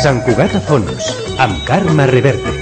Sant Cugat a fons, amb Carme Reverte.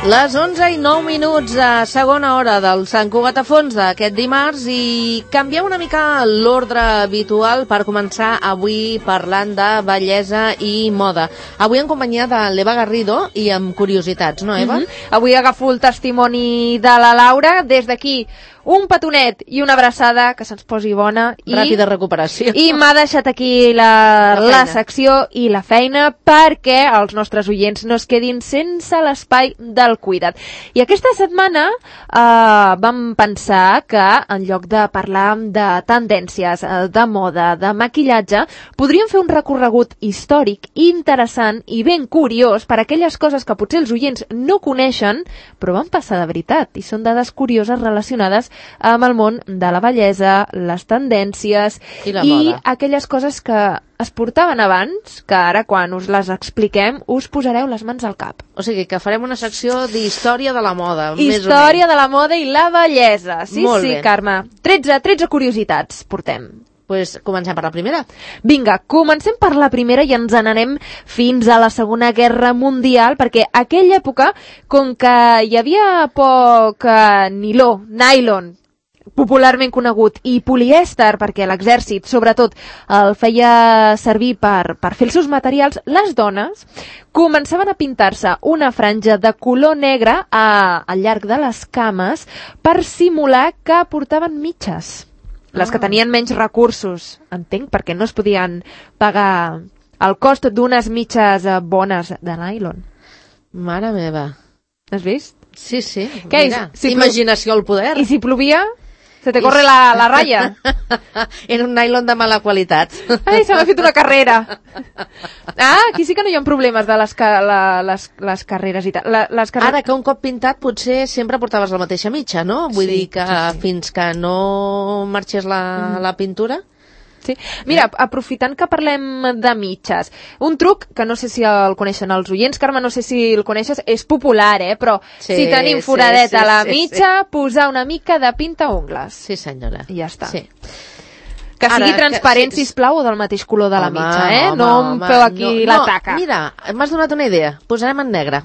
Les 11:09 a segona hora del Sant Cugat a fons d'aquest dimarts i canviem una mica l'ordre habitual per començar avui parlant de bellesa i moda. Avui en companyia de l'Eva Garrido i amb curiositats, no, Eva? Avui agafo el testimoni de la Laura. Des d'aquí, un petonet i una abraçada, que se'ns posi bona. Ràpida recuperació. I m'ha deixat aquí la secció i la feina perquè els nostres oients no es quedin sense l'espai del cuida't. I aquesta setmana vam pensar que en lloc de parlar de tendències, de moda, de maquillatge, podríem fer un recorregut històric interessant i ben curiós per aquelles coses que potser els oients no coneixen, però van passar de veritat i són dades curioses relacionades amb el món de la bellesa, les tendències i aquelles coses que es portaven abans, que ara quan us les expliquem us posareu les mans al cap. O sigui que farem una secció d'història de la moda. Història de la moda i la bellesa. Sí, Molt sí, bé. Carme. 13 curiositats portem. Pues comencem per la primera. Vinga, comencem per la primera i ens n'anem fins a la Segona Guerra Mundial, perquè a aquella època, com que hi havia poc nylon, popularment conegut, i polièster, perquè l'exèrcit, sobretot, el feia servir per fer els seus materials, les dones començaven a pintar-se una franja de color negre al llarg de les cames per simular que portaven mitges. Les que tenien menys recursos, entenc, perquè no es podien pagar el cost d'unes mitges bones de nylon. Mare meva. Has vist? Sí, sí. Què Mira, imaginació al poder. I si plovia? Se te corre la ratlla. Era un nylon de mala qualitat. Ai, se m'ha fet una carrera. Aquí sí que no hi ha problemes de les carreres i tal. Ara que un cop pintat potser sempre portaves la mateixa mitja, no? Vull dir que fins que no marxés la pintura... Sí. Mira, aprofitant que parlem de mitges, un truc que no sé si el coneixen els oients, Carme, no sé si el coneixes, és popular, però si tenim foradet a la mitja, posar una mica de pintaungles. Sí, senyora. I ja està. Sí. Que sigui transparent, sisplau, o del mateix color de la mitja, no em feu aquí la taca. Mira, m'has donat una idea. Posarem en negre.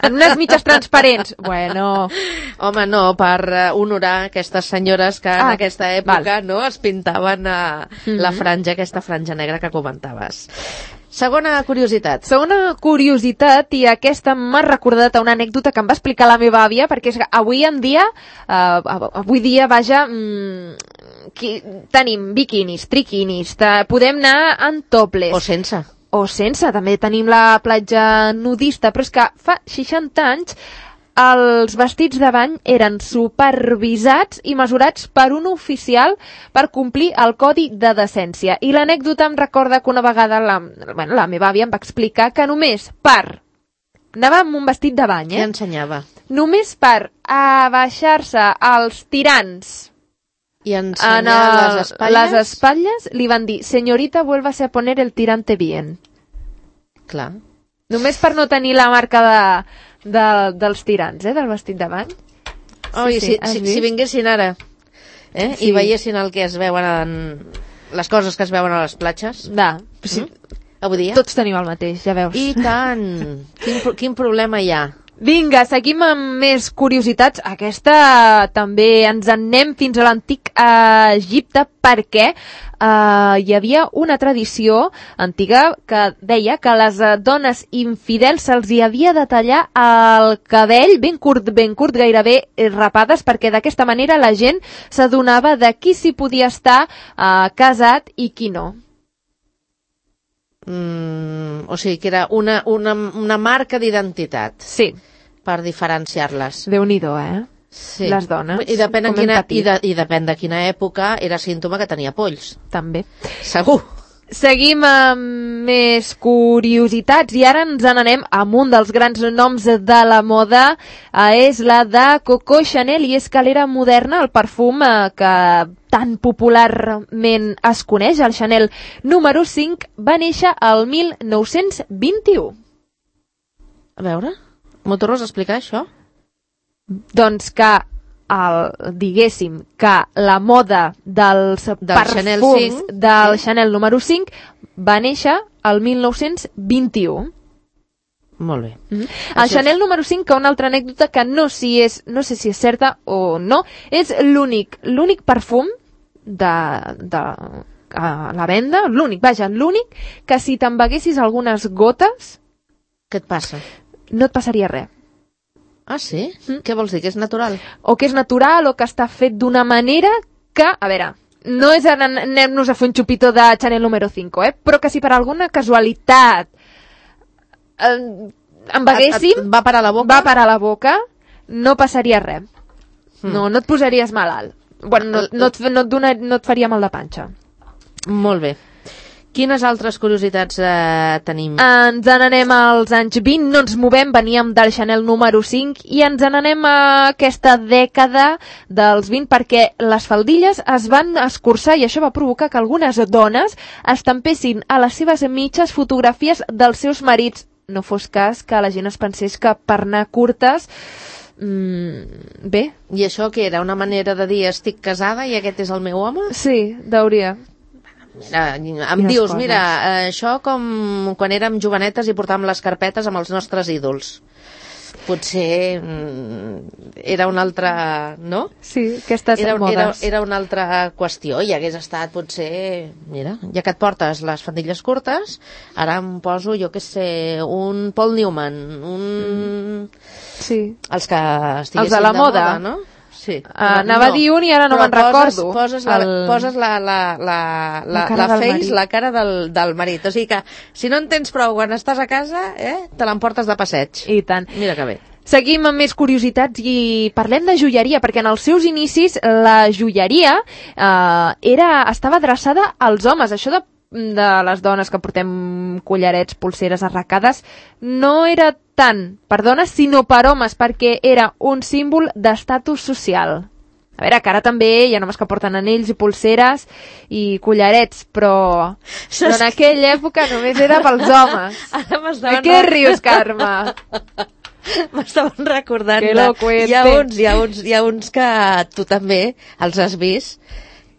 En unes mitges transparents. Bueno. Home, no, per honorar aquestes senyores que en aquesta època es pintaven la franja, aquesta franja negra que comentaves. Segona curiositat. Segona curiositat, i aquesta m'ha recordat a una anècdota que em va explicar la meva àvia, perquè és que avui dia, tenim biquinis, triquinis, podem anar en topless. O sense. També tenim la platja nudista, però és que fa 60 anys els vestits de bany eren supervisats i mesurats per un oficial per complir el codi de decència. I l'anècdota em recorda que una vegada la meva àvia em va explicar que només anava amb un vestit de bany, Què ensenyava? Només per abaixar-se als tirants i ensenyar les espatlles, li van dir: señorita, vuélvase a poner el tirante bien. Clar. Només per no tenir la marca dels tirants, del vestit de bany. Si vinguessin ara i veiessin el que es veuen, les coses que es veuen a les platges. Avui dia. Tots tenim el mateix, ja veus. I tant. Quin problema hi ha? Vinga, seguim amb més curiositats. Aquesta també ens en anem fins a l'antic Egipte, perquè hi havia una tradició antiga que deia que a les dones infidels se'ls hi havia de tallar el cabell ben curt, gairebé rapades, perquè d'aquesta manera la gent s'adonava de qui s'hi podia estar casat i qui no. O sigui, que era una marca d'identitat. Sí. Per diferenciar-les. Déu-n'hi-do, Sí. Les dones. I depèn de quina època era símptoma que tenia polls. També. Segur. Seguim amb més curiositats i ara ens n'anem amb un dels grans noms de la moda, és la de Coco Chanel, i és que l'era moderna, el perfum que tan popularment es coneix, el Chanel número 5, va néixer el 1921. A veure, m'ho tornes a explicar, això? Doncs que diguéssim que la moda dels Chanel perfums 5, del Chanel número 5 va néixer el 1921. Molt bé. El Chanel número 5, que una altra anècdota que no sé si és certa o no, és l'únic perfum de a la venda, l'únic que si te'n beguessis algunes gotes... Què et passa? No et passaria res. Ah, sí? Què vols dir, que és natural? O que és natural o que està fet d'una manera que, a veure, no és anem-nos a fer un xupito de Chanel número 5, però que si per alguna casualitat em beguéssim... Va parar a la boca? No passaria res. No et posaries malalt. Bueno, no et faria mal de panxa. Molt bé. Quines altres curiositats tenim? Ens n'anem als anys 20, no ens movem, veníem del Chanel número 5 i ens n'anem a aquesta dècada dels 20 perquè les faldilles es van escurçar i això va provocar que algunes dones estampessin a les seves mitges fotografies dels seus marits. No fos cas que la gent es pensés que per anar curtes... bé. I això que era una manera de dir estic casada i aquest és el meu home? Sí, deuria. Em dius, mira, això com quan érem jovenetes i portàvem les carpetes amb els nostres ídols. Potser era una altra... no? Sí, aquestes modes. Era una altra qüestió i hagués estat potser... Mira, ja que et portes les faldilles curtes, ara em poso, jo què sé, un Paul Newman, Sí. Els que estiguessin els de la moda, no? Sí. Anava a dir un i ara no me'n recordo. Poses la cara del marit. O sigui que, si no en tens prou quan estàs a casa, te l'emportes de passeig. I tant. Mira que bé. Seguim amb més curiositats i parlem de joieria, perquè en els seus inicis la joieria estava adreçada als homes. Això de les dones que portem collarets, polseres arracades, no era tant per dones, sinó per homes, perquè era un símbol d'estatus social. A veure, que ara també hi ha homes que porten anells i polseres i collarets, però en aquella època només era pels homes. De què rius, Carme? M'estaven recordant. Que locuente. Hi ha uns que tu també els has vist,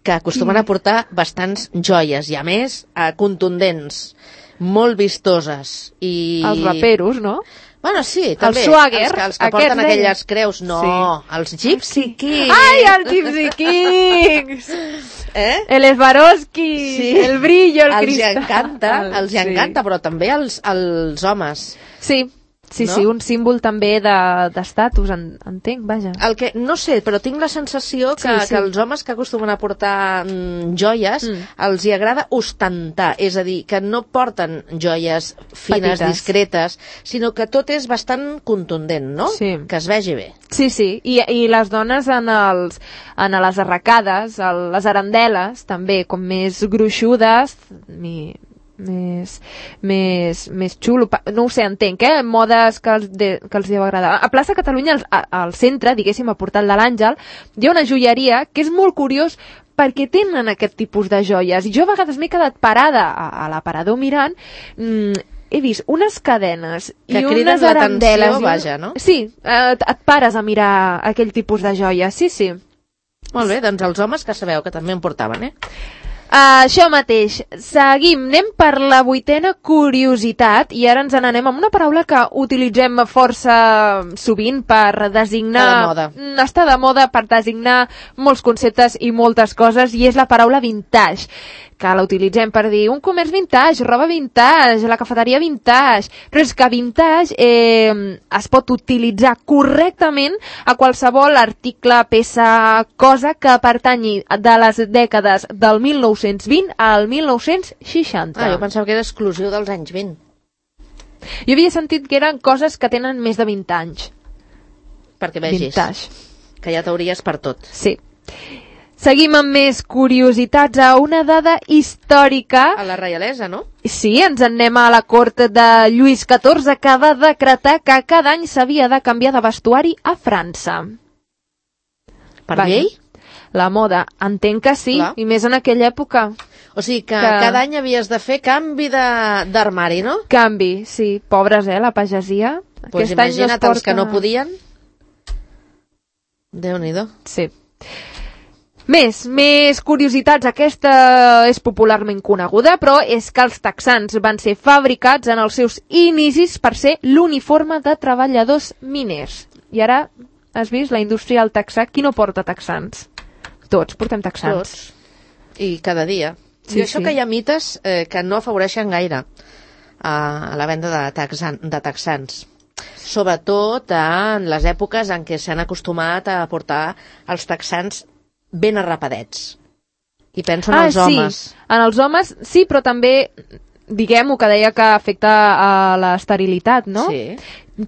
que acostumen a portar bastants joies i a més contundents, molt vistoses. Els raperos, no? Bueno, sí, també. El swagger. Els que porten aquelles creus. No, sí. Els Gypsy Kings. Ai, els Gypsy Kings! El Swarovski, sí. El brillo, el cristal. Els encanta, però també els homes. Sí. Sí, no? Sí, un símbol també d'estatus, entenc, vaja. El que, no sé, però tinc la sensació que els homes que acostumen a portar joies els hi agrada ostentar, és a dir, que no porten joies fines, petites, discretes, sinó que tot és bastant contundent, no? Sí. Que es vegi bé. Sí, sí, i les dones en les arracades, les arandeles, també, com més gruixudes, més xulo, no ho sé, entenc, modes que els deu agradar. A Plaça Catalunya, al centre, diguéssim, al portal de l'Àngel, hi ha una joieria que és molt curiós perquè tenen aquest tipus de joies. I jo a vegades m'he quedat parada a l'aparador mirant, he vist unes cadenes que i unes arandeles. Vaja, no? Sí, et pares a mirar aquell tipus de joies, sí, sí. Molt bé, doncs els homes que sabeu que també en portaven, Això mateix. Seguim, anem per la 8a curiositat i ara ens n'anem amb una paraula que utilitzem força sovint per designar... Està de moda per designar molts conceptes i moltes coses i és la paraula vintage, que la utilitzem per dir un comerç vintage, roba vintage, la cafeteria vintage, però és que vintage es pot utilitzar correctament a qualsevol article, peça, cosa que pertanyi de les dècades del 1920 al 1960. Jo pensava que era exclusiu dels anys 20. Jo havia sentit que eren coses que tenen més de 20 anys. Perquè vegis, vintage. Que ja t'hauries per tot. Sí. Seguim amb més curiositats a una dada històrica. A la reialesa, no? Sí, ens en anem a la cort de Lluís XIV, que va decretar que cada any s'havia de canviar de vestuari a França. Per llei? La moda, entenc que sí, clar. I més en aquella època. O sigui que cada any havies de fer canvi d'armari, no? Canvi, sí. Pobres, la pagesia. Doncs imagina't els que no podien. Déu-n'hi-do. Sí. Més curiositats. Aquesta és popularment coneguda, però és que els texans van ser fabricats en els seus inicis per ser l'uniforme de treballadors miners. I ara has vist la indústria del texà. Qui no porta texans? Tots portem texans. Tots. I cada dia. Sí, I això sí. que hi ha mites que no afavoreixen gaire a la venda de texans. Sobretot en les èpoques en què s'han acostumat a portar els texans ben arrapadets. I penso en els homes. Sí. En els homes, sí, però també, diguem-ho, que deia que afecta a l'esterilitat, no? Sí.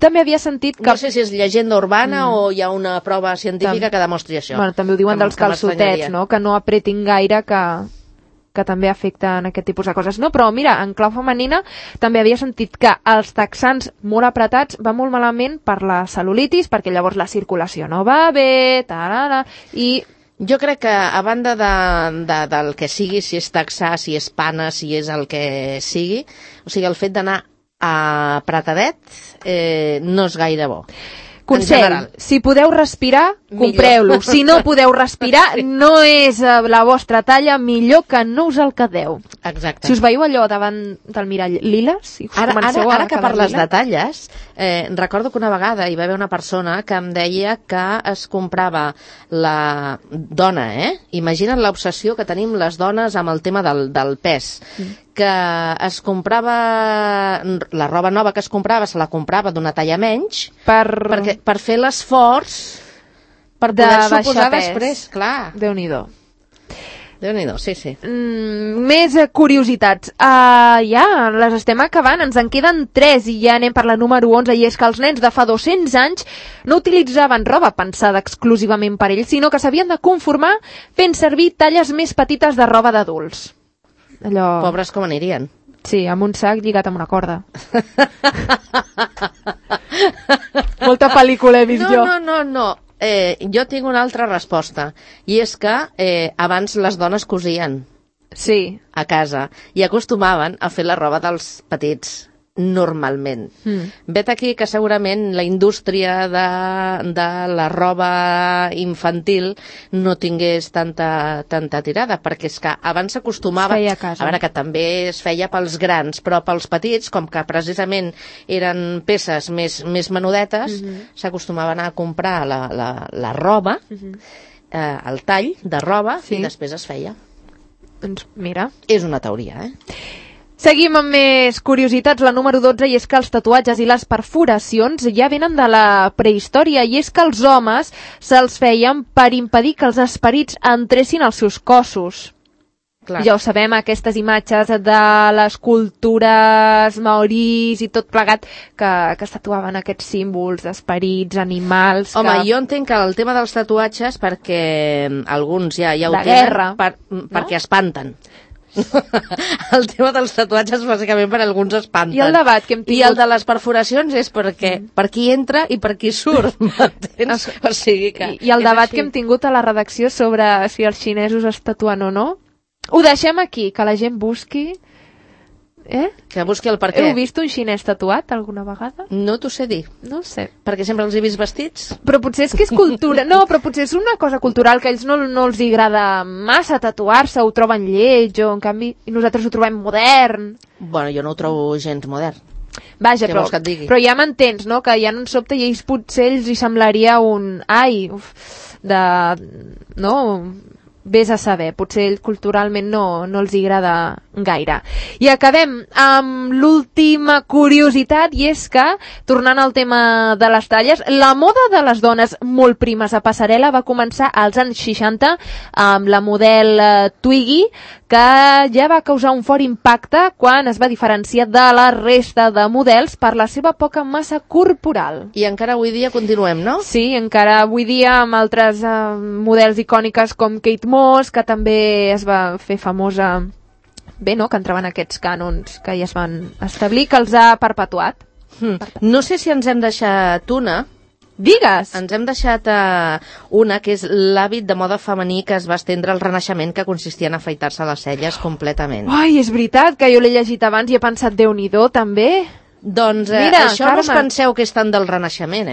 També havia sentit que... No sé si és llegenda urbana o hi ha una prova científica que demostri això. Bueno, també ho diuen dels calçotets, no? Que no apretin gaire, que també afecten aquest tipus de coses. No, però mira, en clau femenina també havia sentit que els texans molt apretats va molt malament per la cel·lulitis, perquè llavors la circulació no va bé, i... Jo crec que, a banda del que sigui, si és texà, si és pana, si és el que sigui, o sigui, el fet d'anar apretadet no és gaire bo. Consell, si podeu respirar, compreu-lo. Si no podeu respirar, no és la vostra talla, millor que no us el quedeu. Exacte. Si us veieu allò davant del mirall liles, i us comenceu a ara que quedar parles lila. de talles, recordo que una vegada hi va haver una persona que em deia que es comprava la dona, Imagina't l'obsessió que tenim les dones amb el tema del pes. Que es comprava la roba nova que es comprava, se la comprava d'una talla menys per fer l'esforç per poder-s'ho posar després, clar. Déu-n'hi-do. Déu-n'hi-do, sí. Més curiositats. Ja, les estem acabant, ens en queden 3 i ja anem per la número 11, i és que els nens de fa 200 anys no utilitzaven roba pensada exclusivament per ells, sinó que s'havien de conformar fent servir talles més petites de roba d'adults. Allò... Pobres com anirien. Sí, amb un sac lligat amb una corda. Molta pel·lícula he vist jo. No. Jo tinc una altra resposta, i és que abans les dones cosien a casa i acostumaven a fer la roba dels petits normalment. Vet aquí que segurament la indústria de la roba infantil no tingués tanta tirada, perquè és que abans s'acostumava, a veure, que també es feia pels grans, però pels petits, com que precisament eren peces més menudetes, s'acostumaven a comprar la roba, el tall de roba, i després es feia. Doncs mira. És una teoria, Seguim amb més curiositats, la número 12, i és que els tatuatges i les perforacions ja venen de la prehistòria, i és que els homes se'ls feien per impedir que els esperits entressin als seus cossos. Clar. Ja ho sabem, aquestes imatges de les cultures maoris i tot plegat que es tatuaven aquests símbols d'esperits, animals... Home, jo entenc que el tema dels tatuatges, perquè alguns ja ho tenen, guerra, perquè espanten. El tema dels tatuatges bàsicament per alguns espanten. I el debat que hem tingut... I el de les perforacions és perquè per qui entra i per qui surt, m'entens? O sigui que... I el debat que hem tingut a la redacció sobre si els xinesos es tatuen o no, ho deixem aquí, que la gent busqui... Que busqui el per què. Heu vist un xinès tatuat alguna vegada? No t'ho sé dir. No ho sé. Perquè sempre els he vist vestits. Però potser és que és cultura... No, però potser és una cosa cultural que a ells no els agrada massa tatuar-se, ho troben lleig, o en canvi nosaltres ho trobem modern. Bueno, jo no ho trobo gens modern. Vaja, però ja m'entens, no? Que ja no en sobte i ells potser els hi semblaria un... No... Vés a saber, potser culturalment no els agrada gaire. I acabem amb l'última curiositat, i és que, tornant al tema de les talles, la moda de les dones molt primes a passarel·la va començar als anys 60 amb la model Twiggy, que ja va causar un fort impacte quan es va diferenciar de la resta de models per la seva poca massa corporal. I encara avui dia continuem, no? Sí, encara avui dia amb altres models icòniques com Kate Moss, que també es va fer famosa, bé, no?, que entraven aquests cànons que ja es van establir, que els ha perpetuat. No sé si ens hem deixat una. Digues! Ens hem deixat una, que és l'hàbit de moda femení que es va estendre al Renaixement, que consistia en afaitar-se les celles completament. Ai, és veritat, que jo l'he llegit abans i he pensat, Déu-n'hi-do, també. Doncs mira, això Carme, no us penseu que és tant del Renaixement,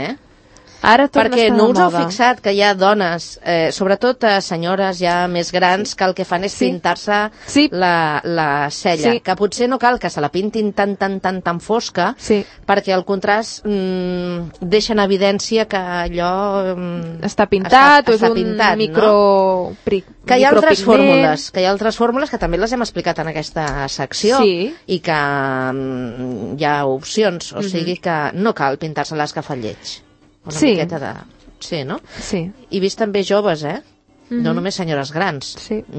Ara torna a Perquè estar no de us heu moda. fixat que hi ha dones, sobretot senyores ja més grans, que el que fan és pintar-se la cella, que potser no cal que se la pintin tan fosca, perquè el contrast deixa en evidència que allò està pintat, o és un pintat, que hi ha altres fórmules que també les hem explicat en aquesta secció i que hi ha opcions, o sigui que no cal pintar-se l'escafalleig. Una miqueta de... Sí, no? Sí. I vist també joves, no només senyores grans,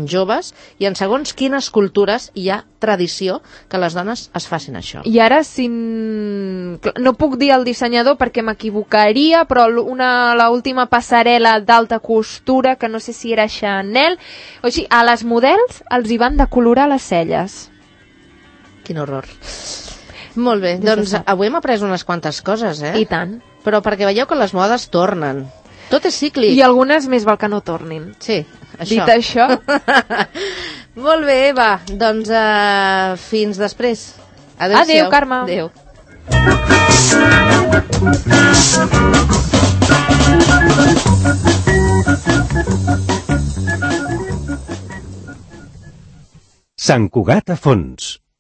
joves, i en segons quines cultures hi ha tradició que les dones es facin això. I ara, no puc dir el dissenyador perquè m'equivocaria, però l'última passarel·la d'alta costura, que no sé si era Chanel, o sigui, a les models els hi van decolorar les celles. Quin horror. Molt bé, doncs avui hem après unes quantes coses, I tant. Però perquè veieu que les modes tornen. Tot és cíclic. I algunes més val que no tornin. Sí, això. Dit això... Molt bé, va, doncs fins després. Adéu, Carme. Adéu. Sant Cugat a Fons.